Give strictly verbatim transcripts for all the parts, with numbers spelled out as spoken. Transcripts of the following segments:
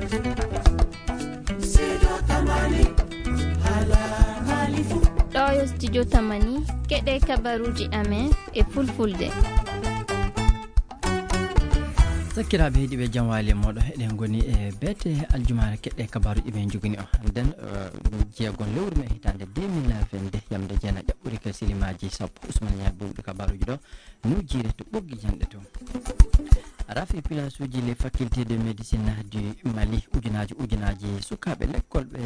Ɗo yo studio Tamani, keɗe kabaruuji amen e fulfulde. Sakkiraaɓe heɗiiɓe, jam waali e mooɗon. Eɗen ngoni e beete aljumaare keɗe kabaruuji men njogini o hannden, eh, ɗum jeegon lewru men hitaande deux mille vingt-deux, yamde jeena ƴaɓɓuri ka silimaaji sappo. Ousmane Niang bowɗi kabaruuji ɗo. Nujire to ɓoggi janɗe to. Rafi pilasuuji les facultés de médecine du Mali, ujunaaji ujunaaji sukaaɓe lekkol ɓe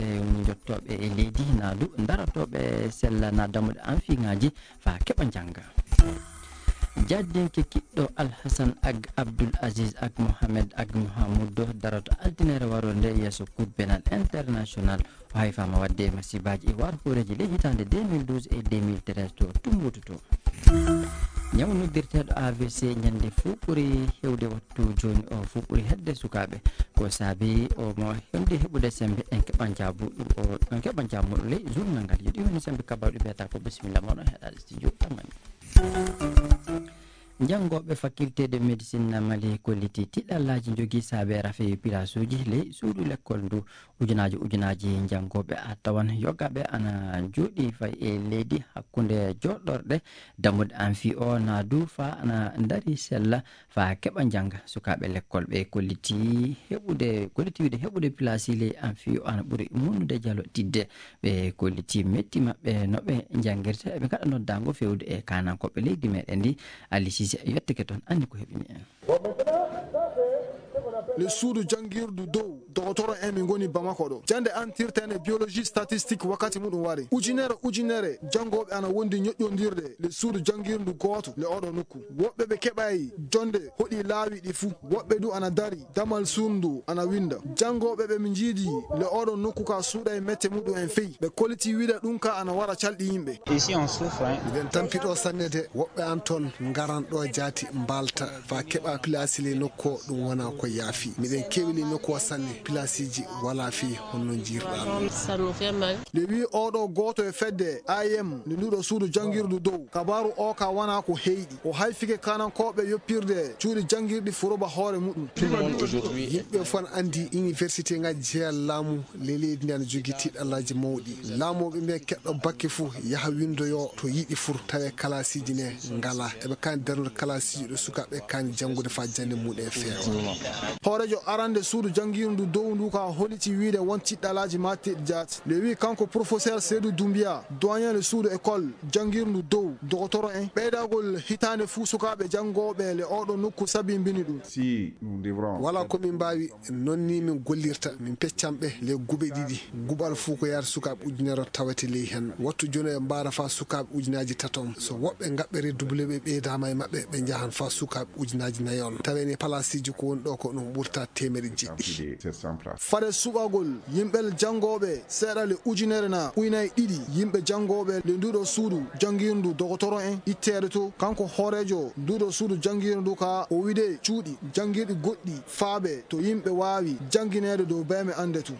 jottooɓe e leydi naadu, daratooɓe sella na dammuɗe anfiŋaaji faa keɓa njannga. Jaddinke kiɗɗo Alhasan Ag Abdul Aziz Ag Mohamed Ag Mohamudo daroto altine waroo nde yeeso Cour pénale internationale. O hayfaama waɗde e masibaaji e war hooreeji ley hitaande deux mille douze e deux mille treize to Tumbuktu to. Ñaw noddirteeɗo A V C ñande fuu ɓuri heewde wattu jooni o fuu ɓuri hedde sukaaɓe. Ko saabi o mo hewde heɓude sembe en keɓan jaabu, o, en keɓan jaabu ley journal ngal. Yo ɗi woni sembe kabaru ɗi mbiyata ko bisimilla moɗon heɗaade studio Tamani. Janngooɓe faculté de médecine na Mali kolliti tiɗallaaji njogii saabe rafi pilasuuji ley suudu lekkol ndu. Ujunaaji ujunaaji janngooɓe a tawan yogaaɓe ana jooɗii fay e leydi hakkunde jooɗorɗe dammuɗe anfi o na du faa ana ndari sella faa keɓa njannga. Sukaaɓe lekkol ɓe kolliti heɓude, kolliti wiide heɓude pilasi ley anfi o ana ɓuri munnude jalo tidde. Ɓe kolliti metti maɓɓe no ɓe njanngirta. Eɓe ngaɗa noddaango fewde e kaanankooɓe leydi meɗen ndi. Ali Sise yettike toon, anndi ko heɓini en. Le suudu janngirdu dow dogotoro en min ngoni Bamako ɗo. Jannde antirten e biologie statistique wakkati muɗum wari. Ujunere ujunere janngooɓe ana wondi ñoƴƴondirde le suudu janngirdu gooto le oɗo nokku. Woɓɓe ɓe keɓay jonde hoɗi laawi ɗi fuu. Woɓɓe du ana dari damal suudu ana winda. Janngooɓe ɓe mi njiidi le oɗo nokku ka suuɗay mette muɗum en fey. Ɓe kolliti wiida ɗum ka ana wara calɗi yimɓe. Ici, on souffre, hein. Miɗen tampi ɗo sanne de, woɓɓe an toon ngaran ɗo jaati mbaalta, faa keɓa pilaasi ley nokku o, ɗum wona ko yaafi. Miɗen keewi ley nokku o sanne, pilaasiiji walaa fii honno njiirɗaa ɗum. Ça nous fait mal. Nde wii oɗo gooto e fedde A I M, nde nduɗo suudu janngirdu dow, kabaaru o ka wona ko heyɗi. O hayfike kanankooɓe yoppirde cuuɗi janngirɗi furoba hoore muɗum. Tout le monde aujourd'hui. Yimɓe fof ne anndi université ngaji jeeya laamu ley leydi ndi ana jogii tiɗallaaji mawɗi. Laamooɓe ɓe keɗɗo bakke fof yaha winndoyo to yiɗi fur, tawe kalaasiiji ne ngalaa. Eɓe kaani darnude kalaasiiji ɗo sukaaɓe kaani janngude faa jannde mumen feewa. Hooreejo arande suudu janngirdu dow ndu ka holiti wiide won tiɗɗallaaji matteɗi jaati. Nde wii kanko professeur Seydou Doumbia, doyen le suudu école janngirdu dow, dogotoro en, ɓeydagol hitaande fuu sukaaɓe janngooɓe le oɗo nokku sabimbini ɗum. Si nous devrons Wala ko min mbaawi, noon ni min gollirta, min peccan ɓe le guɓe ɗiɗi. Guɓal fuu ko yaata sukaaɓe ujunere o tawete ley hen. Wattu jooni e mbaara faa sukaaɓe ujunaaji tato. So woɓɓe ngaɓɓe redoublé ɓe ɓeydaama e maɓɓe, ɓe njahan faa sukaaɓe ujunaaji nayo. Tawe ni palaasiiji ko woni ɗo ko ɗum ɓurta teemedde jeɗɗi. Fade suɓagol yimɓe janngooɓe seeɗa le ujunere na uynay ɗiɗi yimɓe janngooɓe le nduɗo suudu janngirndu dogotoro en itteede to. Kanko hooreejo nduɗo suudu janngirndu ka o wiide cuuɗi janngirɗi goɗɗi faabe to yimɓe waawi janngineede dow beeme annde to.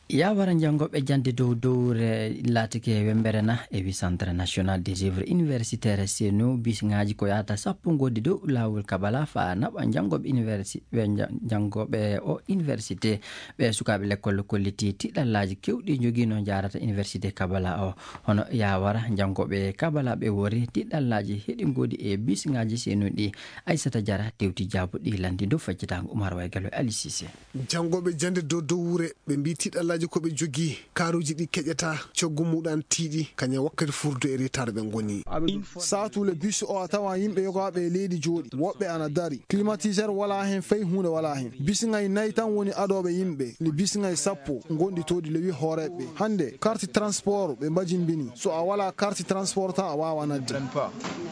Yawara janngooɓe jannde dow dowre laatike wemmbere na e wi Centre National des Œuvres Universitaires, C N U, bisiŋaaji ko yahata sappo ngoodi dow laawol Kabala faa naɓa janngooɓe universi-, ɓe nja-, janngooɓe o université. Ɓe sukaaɓe lekkol kolliti tiɗallaaji keewɗi njogiino njaarata université Kabala o. Hono yawara janngooɓe Kabala ɓe wori tiɗallaaji heɗi ngoodi e bisiŋaaji C N U ɗi. Aissata Diarra tewti jaabuɗi lanndi dow faccitaango Umar Waygalo e Ali Cissé. Janngooɓe jannde dow dowre, ɓe mbii tiɗallaaji ko ɓe jogii, kaaruuji ɗi keƴataa, coggu muɗum tiiɗi, kañum wakkati furdu e retard ɓe ngoni. Saatu le bus o a tawa yimɓe yogaaɓe e leydi jooɗi, woɓɓe ana dari. Climatiseur walaa hen, fay huunde walaa hen. Bisiŋay nay tan woni adooɓe yimɓe, le bisiŋay sappo ngonɗi toon ɗi lewi hooreeɓe. Hannde, carte transport ɓe mbajimbini. So a walaa carte transport tan a waawaa nadde.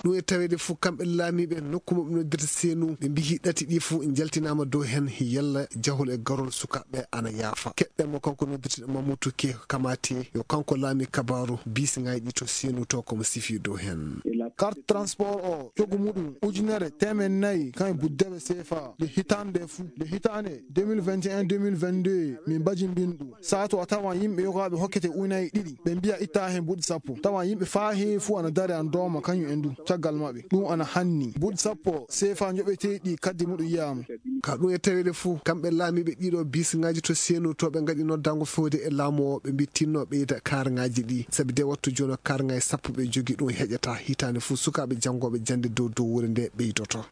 Ɗum e taweede fof kamɓe laamiiɓe nokku maɓɓe noddirta C N U, ɓe mbiyi ɗati ɗi fof njaltinaama dow heen, yalla jahol e garol sukaaɓe ana yaafa. Keɗɗen mo kanko noddirteeɗo Mamadou Ke Kamate, yo kanko laami kabaaru bisiŋaaji ɗi to C N U to ko mo sifi dow heen. Carte transport o, coggu muɗum ujunere teemeɗɗe nayi kan e buddeɓe C F A. Nde hitaande nde fof, nde hitaande deux mille vingt et un, deux mille vingt-deux, min mbajimbini ɗum. Saatu a tawan yimɓe yogaaɓe hokkete ujunnaaje ɗiɗi, ɓe mbiya ittaa heen buuɗi sappo. Tawa yimɓe faa heewi fuu ana dari ana dooma kañum en du caggal maɓɓe. Ɗum ana hanni. Buuɗi sappo seefa njoɓeteeɗi kaddi muɗum yiyaama. Ka ɗum e taweede fuu, kamɓe laamiiɓe ɗiɗo bisiŋaaji to Senu to ɓe ngaɗi noddaango fewde e laamu o, ɓe mbi tinno ɓeyda kaaraŋaaji ɗi. Sabi de wattu jooni o kaaraŋaaji sappo ɓe jogi ɗum heƴata hitaande fuu sukaaɓe janngooɓe jannde dow dow wuro nde ɓeydoto.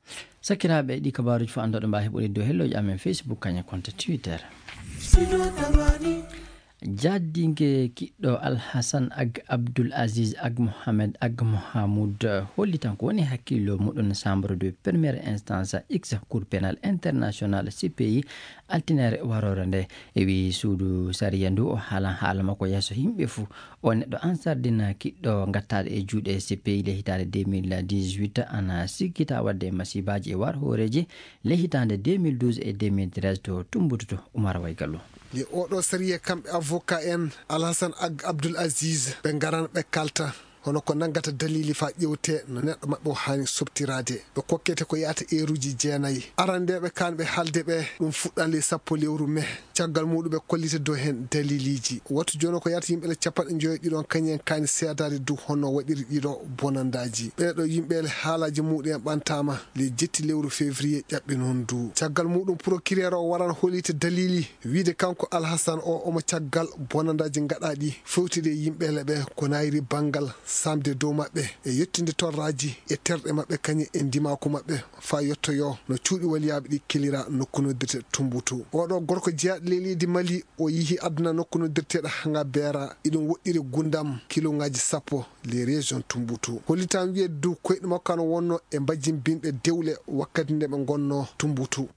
Sakiraaɓe, ɗi kabaaruuji fof anndoɗo mbaawi heɓude dow helloji amen Facebook, kañum e compte Twitter. Jaddinge kiɗɗo Alhasan Ag Abdul Aziz Ag Mohamed Ag Mohamud hollitan ko woni hakkillo muɗum chambre de première instance X Cour pénale internationale C P I altinere warore nde. E wi suudu sariya ndu o haalan haala makko yeeso yimɓe fuu. O neɗɗo ansardina kiɗɗo ngattaɗo e juuɗe C P I le hitaande deux mille dix-huit ana sikkita wadde masibaji e war hooreji le hitaande deux mille douze e deux mille treize to Tumbutu to Umar Waygallo. Nde oɗo sariya kamɓe avocat en Alhasan Ag Abdul Aziz ɓe ngaran ɓe kalta hono ko nanngata dalili faa ƴewte no neɗɗo maɓɓe o haani soɓtiraade. Ɓe kokkete ko yahata eeruuji jeenayi. Arandeeɓe kaan ɓe haalde ɓe ɗum fuɗɗan ley sappo lewru mee. Caggal muuɗum ɓe kollita dow heen daliliiji. Wattu jooni ko yahata yimɓe le capanɗe njoyo ɗiɗo on kañum en kaani seedaade dow hono waɗiri ɗiɗo bonandaaji. Ɓee ɗoo yimɓe le haalaaji muuɗum en ɓantaama ley jetti lewru février ƴaɓɓi noon ndu. Caggal muuɗum procureur o waran hollita dalili. Wiide kanko Alhasan o omo caggal bonandaaji ngaɗaaɗi fewtide e yimɓe leɓe ko nayri banngal samde dow maɓɓe e yettinde torraaji e terɗe maɓɓe kañum e ndimaaku maɓɓe faa yettoyoo no cuuɗi waliyaaɓe ɗi kelira nokku noddirte Tumbutu. Oɗo gorko jeyaaɗo ley leydi Mali o yihi aduna nokku noddirteeɗo Hanga Beera iɗum woɗɗiri gundam kiloŋaaji sappo les régions Tumbutu. Hollitaan wiyeede dow koyɗe makko ana wonno e mbajjimbinɓe dewle wakkati nde ɓe ngonno Tumbutu.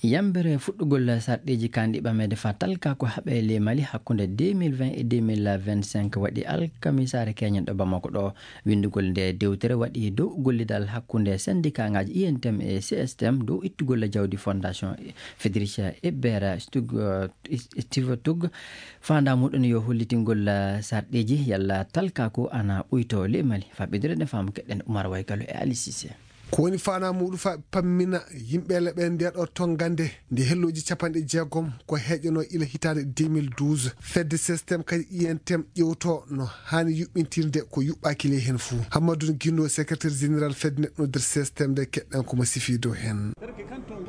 Yambere fuɗɗugol sarɗiiji kanɗi ɓameede faa talka ko haɓe ley Mali hakkunde deux mille vingt e deux mille vingt-cinq waɗi alkamisaare keñen ɗo Bamako ɗo. Winndugol nde dewtere waɗi dow gollidal hakkunde sendikaaŋaaji I N T M e C S T M dow ittugol jawdi Fondation Federica Ebbera Stug, eh, Steve Tug. Faandaa muɗum yo hollitingol, eh, sarɗiiji yalla talkaaku ana ɓuytoo ley Mali. Faa ɓeydude ɗen faamu keɗen Umar Waygalo e Ali Cissé. Ko woni faanaa muuɗum faa pammina yimɓe leɓe ndee ɗoo tonngande nde hellooji capanɗe jeegom ko heeƴanoo ila hitaande deux mille douze. Fedde C S T M kadi I N T M ƴewtoo no haani yuɓɓintirde ko yuɓɓaaki ley heen fuu. Hammadou Guindo, secrétaire général fedde neɗɗo nder C S T M nde keɗɗen ko mo sifii dow heen.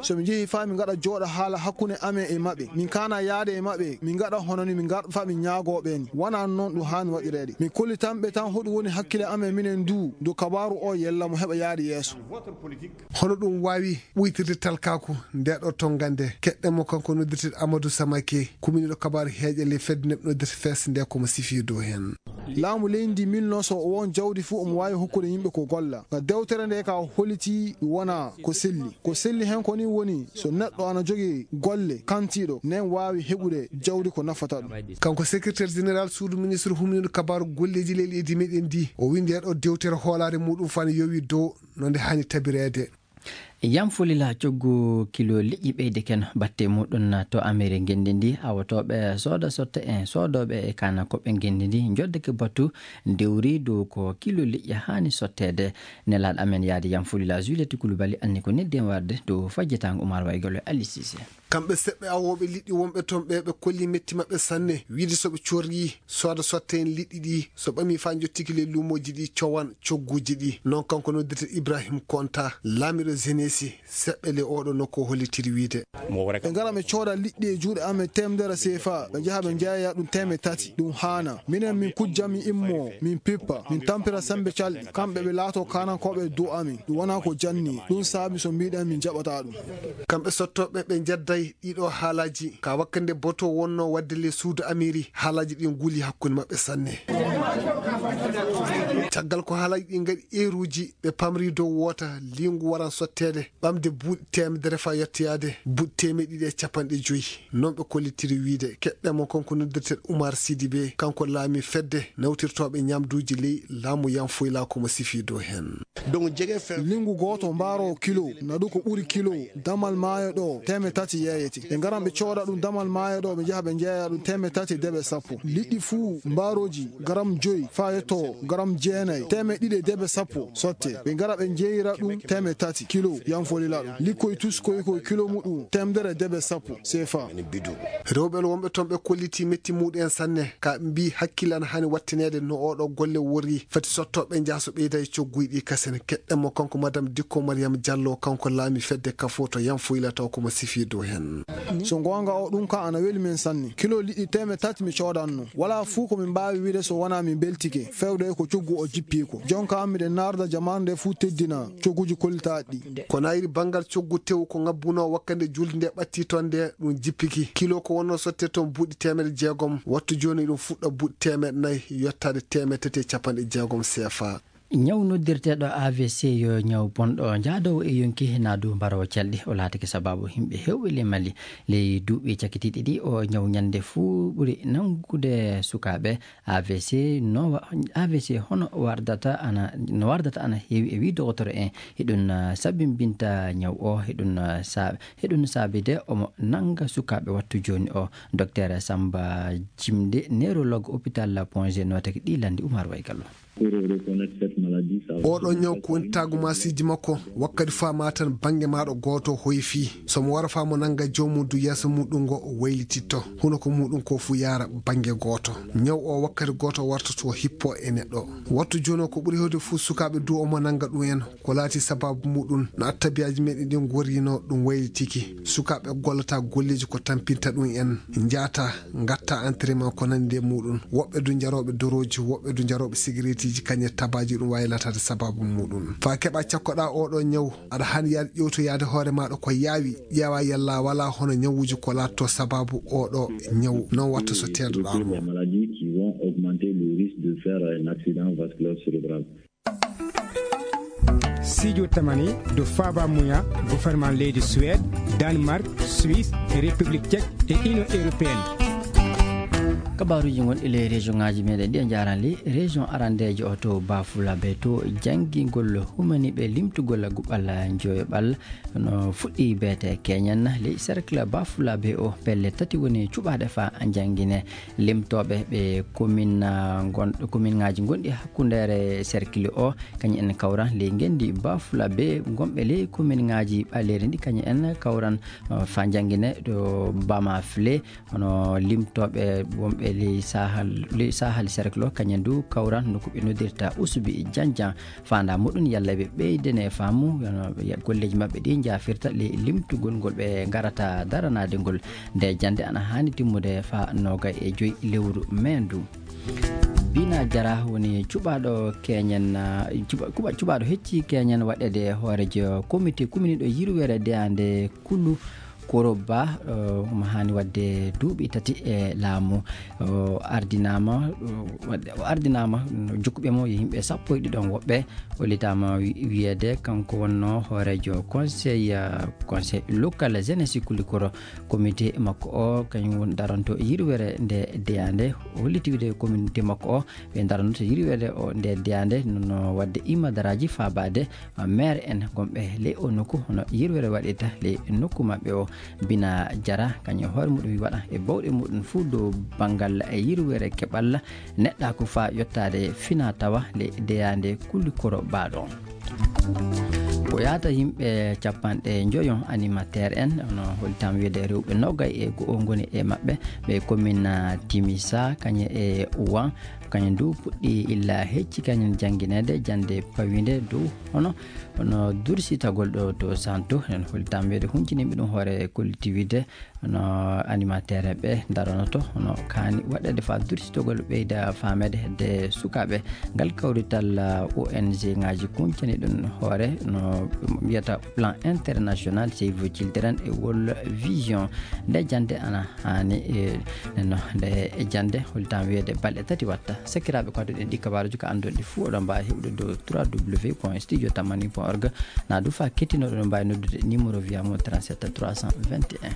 So min njehii faa min ngaɗa jooɗa haala hakkunde amen e maɓɓe, min kaana yaade e maɓɓe, min ngaɗa hono ni min ngar faa min ñaagoo ɓe ni. Wonaa noon ɗum haani waɗireede. Min kollitan ɓe tan hoɗum woni hakkille amen minen du, do kabaaru o yella mo heɓa yaade yeeso. Hono ɗum waawi ɓuytirde talkaaku ndee ɗoo tonngande? Keɗɗen mo, kanko noddirteeɗo Amadou Samake, kuminiiɗo kabaaru heeƴa ley fedde neɗɗo noddirte fes nde ko mo sifii dow heen. Laamu leydi ndi milnoo so o won jawdi fuu omo waawi hokkude yimɓe ko golla. Nga dewtere nde ka holliti wonaa ko selli. Ko selli heen ko ni woni so neɗɗo ana jogii golle kantiiɗo nen waawi heɓude jawdi ko nafata ɗum. Kanko secrétaire général suudu ministre humniiɗo kabaaru golleeji ley leydi meɗen ndi, o winndi e ɗo dewtere hoolaare muɗum fana yowi dow no nde haani tabireede. Yam fulila coggu kilo liƴƴi ɓeyde ken batte muɗum to Ameri ngenndi ndi, awotooɓe sooda sotte en soodooɓe e kaana koɓe ngenndi ndi njoddake batu ndewri dow ko kilo liƴƴi haani sotteede. Nelaaɗo amen yaade yam fulila Juliette Koulibaly anni ko neddi en warde dow fajjitaango Umar Waygalo e Ali Cissé. Kamɓe seɓɓe awooɓe liɗɗi wonɓe toon ɓe, ɓe kolli metti maɓɓe sanne, wiide so ɓe corrii sooda sotte en liɗɗi ɗi, so ɓamii faa njottiki ley luumooji ɗi, cowan cogguuji ɗi. Noon kanko noddirte Ibrahim Konta, laamiiɗo Zenesi, seɓɓe ley ooɗo nokku o hollitiri wiide. Ɓe ngara ɓe cooda liɗɗi e juuɗe amen teemedere seefa, ɓe njaha ɓe njeeya ɗum teemedere tati. Ɗum haana. Minen min kujja, min immoo, min pippa, min tampira semmbe calɗi. Kamɓe ɓe laatoo kaanankooɓe dow amin. Ɗum wonaa ko janni. Ɗum saabi so mbiɗen min njaɓataa ɗum. Kamɓe sottooɓe ɓe njedday ɗiɗo haalaaji. Ka wakkati nde boto wonnoo waɗde ley suudu Amiri, haalaaji ɗi nguli hakkunde maɓɓe sanne. Caggal ko haalaaji ɗi ngaɗi eeruuji, ɓe pamri dow woota liingu waran sotteede, ɓamde buuɗi teemedere faa yettoyaade buuɗi teemeɗɗe ɗiɗi e capanɗe joy. Noon ɓe kollitiri wiide. Keɗɗen mo, kanko noddirteeɗo Umar Sidibe, kanko laamii fedde nawtirtooɓe ñamduuji ley laamu Yam Foyla ko mo sifii dow heen. Linngu gooto mbaaroowo kilo, naɗu ko ɓuri kilo, damal maayo ɗo, teemedde tati yeeyete. Ɓe ngaran ɓe cooda ɗum damal maayo ɗo, ɓe njaha ɓe njeeya ɗum teemedde tati e debe sappo. Liɗɗi fuu mbaarooji garam joy faa yetto garam jeenayi. Nayi, teemeɗɗe ɗiɗi e debe sappo sotte. Ɓe ngara ɓe njeeyira ɗum teemeɗɗe tati kilo, yanfolila ɗum. Likkoy tuskoy ko kilo muɗum teemedere debe sappo sefa. Rewɓe en wonɓe toon ɓe kolliti metti muɗum en sanne, ka mbi hakkille ana hani wattineede no oɗo golle worri. Fati sotto ɓe njaha so ɓeyda e cogguy ɗi kasen. Keɗɗen mo kanko Madame Dikko Mariam Diallo, kanko laami fedde kafo to yanfoyla taw ko mo sifi dow hen. So goonga o, ɗum ka ana weli men sanne. Kilo liɗɗi teemeɗɗe tati mi coodanno. Wala fuu ko min mbaawi wiide so wonaa min mbeltike. Fewde ko coggu o jippi ko. Jonka miɗen naarda jamaanu nde fuu teddina cogguji kollitaaɗi ɗi. Ko nayri banngal coggu tew ko ngabbuno wakkande julde nde ɓatti toon nde ɗum jippiki. Kilo ko wonno sotte toon buuɗi teemeɗɗe jeegom. Wattu jooni ɗum fuɗɗa buuɗi teemeɗɗe nayi yottaade teemeɗɗe tati e capanɗe jeegom sefa. Ñaw noddirteeɗo A V C yo ñaw bonɗo jaadoowo e yonki, hinaa du mbarowo calɗi. O laatake sabaabu yimɓe heewɓe ley Mali. Ley duuɓi cakitiiɗi ɗi, o ñaw ñande fuu ɓuri nanngude sukaaɓe A V C. No wa-, A V C hono wardata ana, no wardata ana heewi e wii dogotoro en. Hiɗum, ah, sabimbinta ñaw o, hiɗum, ah, sa-, hiɗum saabide omo nannga sukaaɓe wattu jooni o. Docteur Samba Jimde, neurologue hôpital Pointe G, nootake ɗi lanndi Umar Waygallo. Pour reconnaître cette maladie, ça va. Oɗo ñaw ko woni taagu maasiiji makko, wakkati faa ma tan bannge maaɗo gooto hoyfi. So mo wara faa mo nannga joomum du yeeso muɗum ngo o waylititto. Hunuko muɗum ko fuu yaara bannge gooto. Ñaw o wakkati gooto warta to hippo e neɗɗo. Wattu jooni o ko ɓuri heewde fuu sukaaɓe du omo nannga ɗum en. Ko laati sabaabu muɗum no attabiyaaji meɗen ɗin gorrino ɗum waylitiki. Sukaaɓe gollata golleeji ko tampinta ɗum en. Njaata ngatta entraînement ko nandi e muɗum. Woɓɓe du njarooɓe dorooji, woɓɓe du njarooɓe sigareetiji, kañe tabaaji ɗum waawi laataade sabaabu muɗum. Faa keɓa cakkoɗaa oɗo ñaw, aɗa haani yaade ƴewtoyaade hoore maaɗa ko yaawi, ƴeewa yalla walaa hono ñawuuji ko laatto sabaabu oɗo ñaw. Non watta so teedoɗaa mo. Les maladies qui vont augmenter le risque de faire un accident vasculaire cérébral. Sijo tamani do faba muya gouvernement leydi Suède, Danemark, Suisse, République Tchèque et Union Européenne. Kabaaruuji gonɗi ley région ŋaaji meɗen ɗi a njaarani. Région arandeejo o to Bafulabe to janngingol humani ɓe limtugol guɓal joyoɓal no fuɗɗi beete keñen ley cercle Bafulabe o. Pelle tati woni cuɓaaɗe faa janngine. Limtooɓe ɓe commune, ah, gon-, commune ŋaaji gonɗi hakkundeere cercle o, kañum en kawran ley ngenndi Bafulabe gonɓe ley commune ŋaaji ɓaleeri ndi, kañum en kawran, ah, faa janngine ɗo Bamafle, hono limtooɓe wonɓe ley Sahal, ley Sahal cercle o, kañum du kawran no ko ɓe noddirta Usubi Janjan. Faandaa muɗum yalla ɓe ɓeydane faamu, yono, ya-, golleeji maɓɓe ɗi njaafirta ley limtugol ngol ɓe ngarata daranaade ngol. Nde jannde ana haani timmude faa noogay e joy lewru mee ndu. Bina Jara woni cuɓaaɗo keñen, ah, cuɓa-, kuɓa-, cuɓaaɗo hecci keñen waɗeede hooreejo komite kuminiiɗo yirwere deyaande kulu Koroba, eh, omo haani waɗde duuɓi tati e laamu. O ardinaama, o waɗde, o ardinaama no jokkuɓe mo yo yimɓe sappo e ɗiɗon woɓɓe. O litaama wi-, wiyeede kanko wonno hooreejo conseil, eh, conseil local jeunesse Kulikoro. Comité makko o, kañum woni daranto yirwere nde deyaande. O holliti wiide comité makko o, ɓe daranto yirwere o nde deyaande, no, no waɗde imadaraaji faabaade maire en gonɓe ley o nokku, hono yirwere waɗirta ley nokku maɓɓe o. Bina Jara, kañum e hoore muɗum wi waɗa e bawɗe muɗum fuu dow banngal e yirwere keɓal neɗɗaaku faa yottaade fina tawa ley deyaande Kulikoro baaɗo. Ko yaata yimɓe capanɗe njoyo animateur en, no hollitam wiide rewɓe nogay e go'o ngoni e maɓɓe, ɓe commune Timisa, kañum e Ouan, kañum du puɗɗi illa hecci kañum janngineede jannde pawiinde dow hono, hono dursitagol ɗo to Santo. En hollitam wiide hunciniiɓe ɗum hoore collectivité, hono animateur ɓe daranoto, hono kaani waɗeede faa dursitagol ɓeyda faameede hedde sukaaɓe. Ngal kawrital, ah, O N G ŋaaji kuncani ɗum hoore, no mbiyata plan international Save Children e World Vision. Nde jannde ana haani, e, no, nde e jannde hollitam wiyeede balɗe tati watta. Sakiraaɓe ko adduɗen ɗi kabaaruuji ko annduɗen ɗi fuu, oɗon mbaawi heɓude dow trois W point studio tamani point org. Na du faa kettinoɗo oɗon mbaawi noddude numéro via mo trente-sept trois cent vingt et un.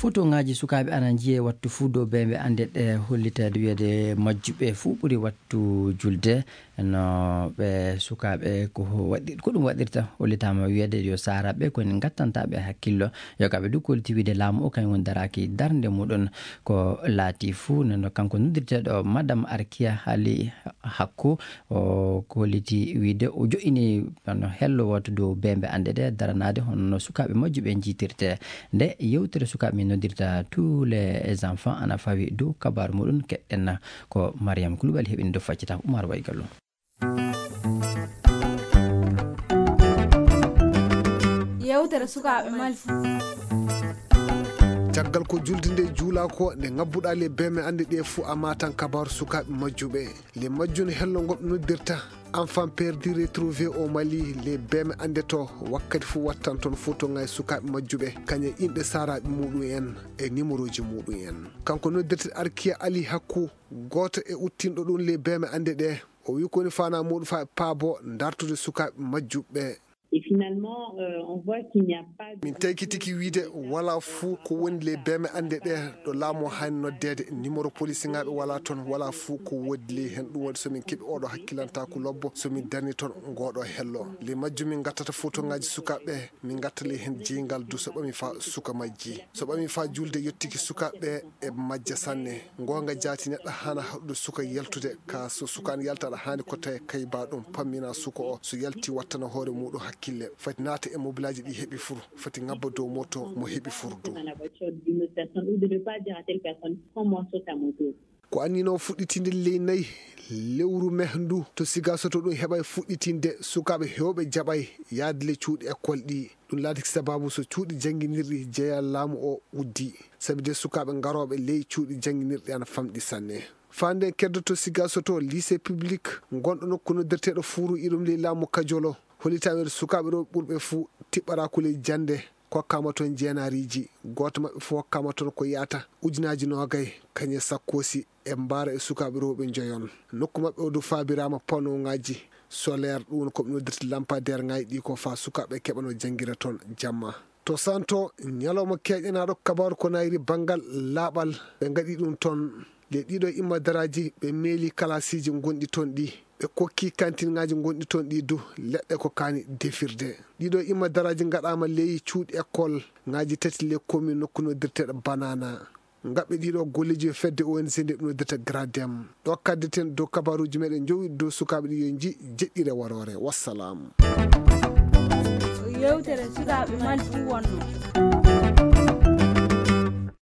Photoŋaaji sukaaɓe ana njiyee wattu fuu dow beembe annde ɗe, hollitaade wiyeede majjuɓe fuu ɓuri wattu julde. No ɓe sukaaɓe ko ho-, waɗi-, ko ɗum waɗirta, hollitaama wiyeede yo saaraɓe ko en ngattanta ɓe hakkillo. Yo kamɓe du kolliti wiyeede laamu o kañum woni daraaki darnde muɗum ko laati fuu. Nden no kanko noddirteeɗo Madame Arkia Ali Hakku, o kolliti wiyeede o joƴƴini no hello wattu dow beembe annde ɗe daranaade hono no sukaaɓe majjuɓe njiitirte. Nde yewtere sukaaɓe min noddirta tous les enfants ana fawi dow kabaaru muɗum, keɗɗen ko Mariam Koulibaly heɓini dow faccitaaka Oumar Waygallo. Yewtere sukaaɓe Mali. Caggal ko julde nde juulaa ko, nde ngabbuɗaa le beembe annde ɗe fuu a maatan kabaaru sukaaɓe majjuɓe. Le majjum hello ngo ɓe noddirta Enfant perdu retrouvé au Mali, le beembe annde to wakkati fuu wattan toon fotoŋaaji sukaaɓe majjuɓe, kañum e inɗe saaraaɓe muɗum en e nimerooji muɗum en. Kanko noddirte Arkia Ali Hakku, gooto e uttinɗo ɗum le beembe annde ɗe, o wi ko woni faanaa muɗum faa e paabo dartude sukaaɓe majjuɓe. Et finalement, euh, on voit qu'il n'y a pas de Min taykitiki wiide walaa fuu ko woni le beembe annde ɗe ɗo laamu o haani noddeede. Numéro police ŋaaɓe walaa toon, walaa fuu ko woodi le heen. Ɗum waɗi so min keɓi oɗo hakkilantaaku lobbo, so min darni toon ngoɗo hello. Le majjum min ngattata fotoŋaaji sukaaɓe, min ngatta le heen jeyngal du so ɓami faa suka majji. So ɓami faa julde yottiki sukaaɓe e majja sanne. Ngoonga jaati neɗɗo haana haɗude suka yaltude, ka so suka an yalta aɗa haani ko tawi kayba ɗum pammina suka o. So yalti wattana hoore muɗum hakkille. Fati naata e mobilaaji ɗi heɓi fur. Fati ngabba dow moto mo heɓi fur du. Dans la voiture d'une autre personne ou de ne pas dire à telle personne, prends-moi, saute à moto. Ko annino fuɗɗitinde ley nayi lewru me ndu to Siga Soto ɗum heɓay fuɗɗitinde sukaaɓe heewɓe jaɓay yaade le cuuɗi école ɗi. Ɗum laatiki sababu so cuuɗi jannginirɗi jeya laamu o uddi. Sabi de sukaaɓe ngarooɓe ley cuuɗi jannginirɗi ana famɗi sanne. Faa nden keddoto Siga Soto lycée public ngonɗo nokku noddirteeɗo Fuuru iɗum ley laamu Kajolo. Hollitaama sukaaɓe rewɓe ɓurɓe fuu tiɓɓaraa kulol jannde. Kokkaama toon jeenaariiji. Gooto maɓɓe fof hokkaama toon ko yahata ujunaaji noogay, kañum e sakkoosi e mbaara e sukaaɓe rewɓe njoyon. Nokku maɓɓe o du faabiraama panoŋaaji solaire, ɗum woni ko ɓe noddirta lampadaire ŋaaji ɗi ko faa sukaaɓe keɓano janngira toon jamma. To Santo, ñalawma keeƴanaaɗo kabaaru ko naayri banngal laaɓal, ɓe ngaɗi ɗum toon. Le ɗiɗo imma daraaji ɓe meeli kalaasiiji ngonɗi toon ɗi. Ɓe kokki kantinŋaaji ngonɗi toon ɗi du leɗɗe ko kaani defirde. Ɗiɗo imma daraaji ngaɗaama ley cuuɗi école ŋaaji tati le commune nokku noddirteeɗo Banana. Ngaɓɓe ɗiɗo golleeji yo fedde O N G nde noddirta Gradem. Ɗo kaddeten dow kabaaruuji meɗen njowi dow sukaaɓe ɗi yo nji jeɗɗire waroore. Wassalam. Yewtere sukaaɓe Mali fuu wonno.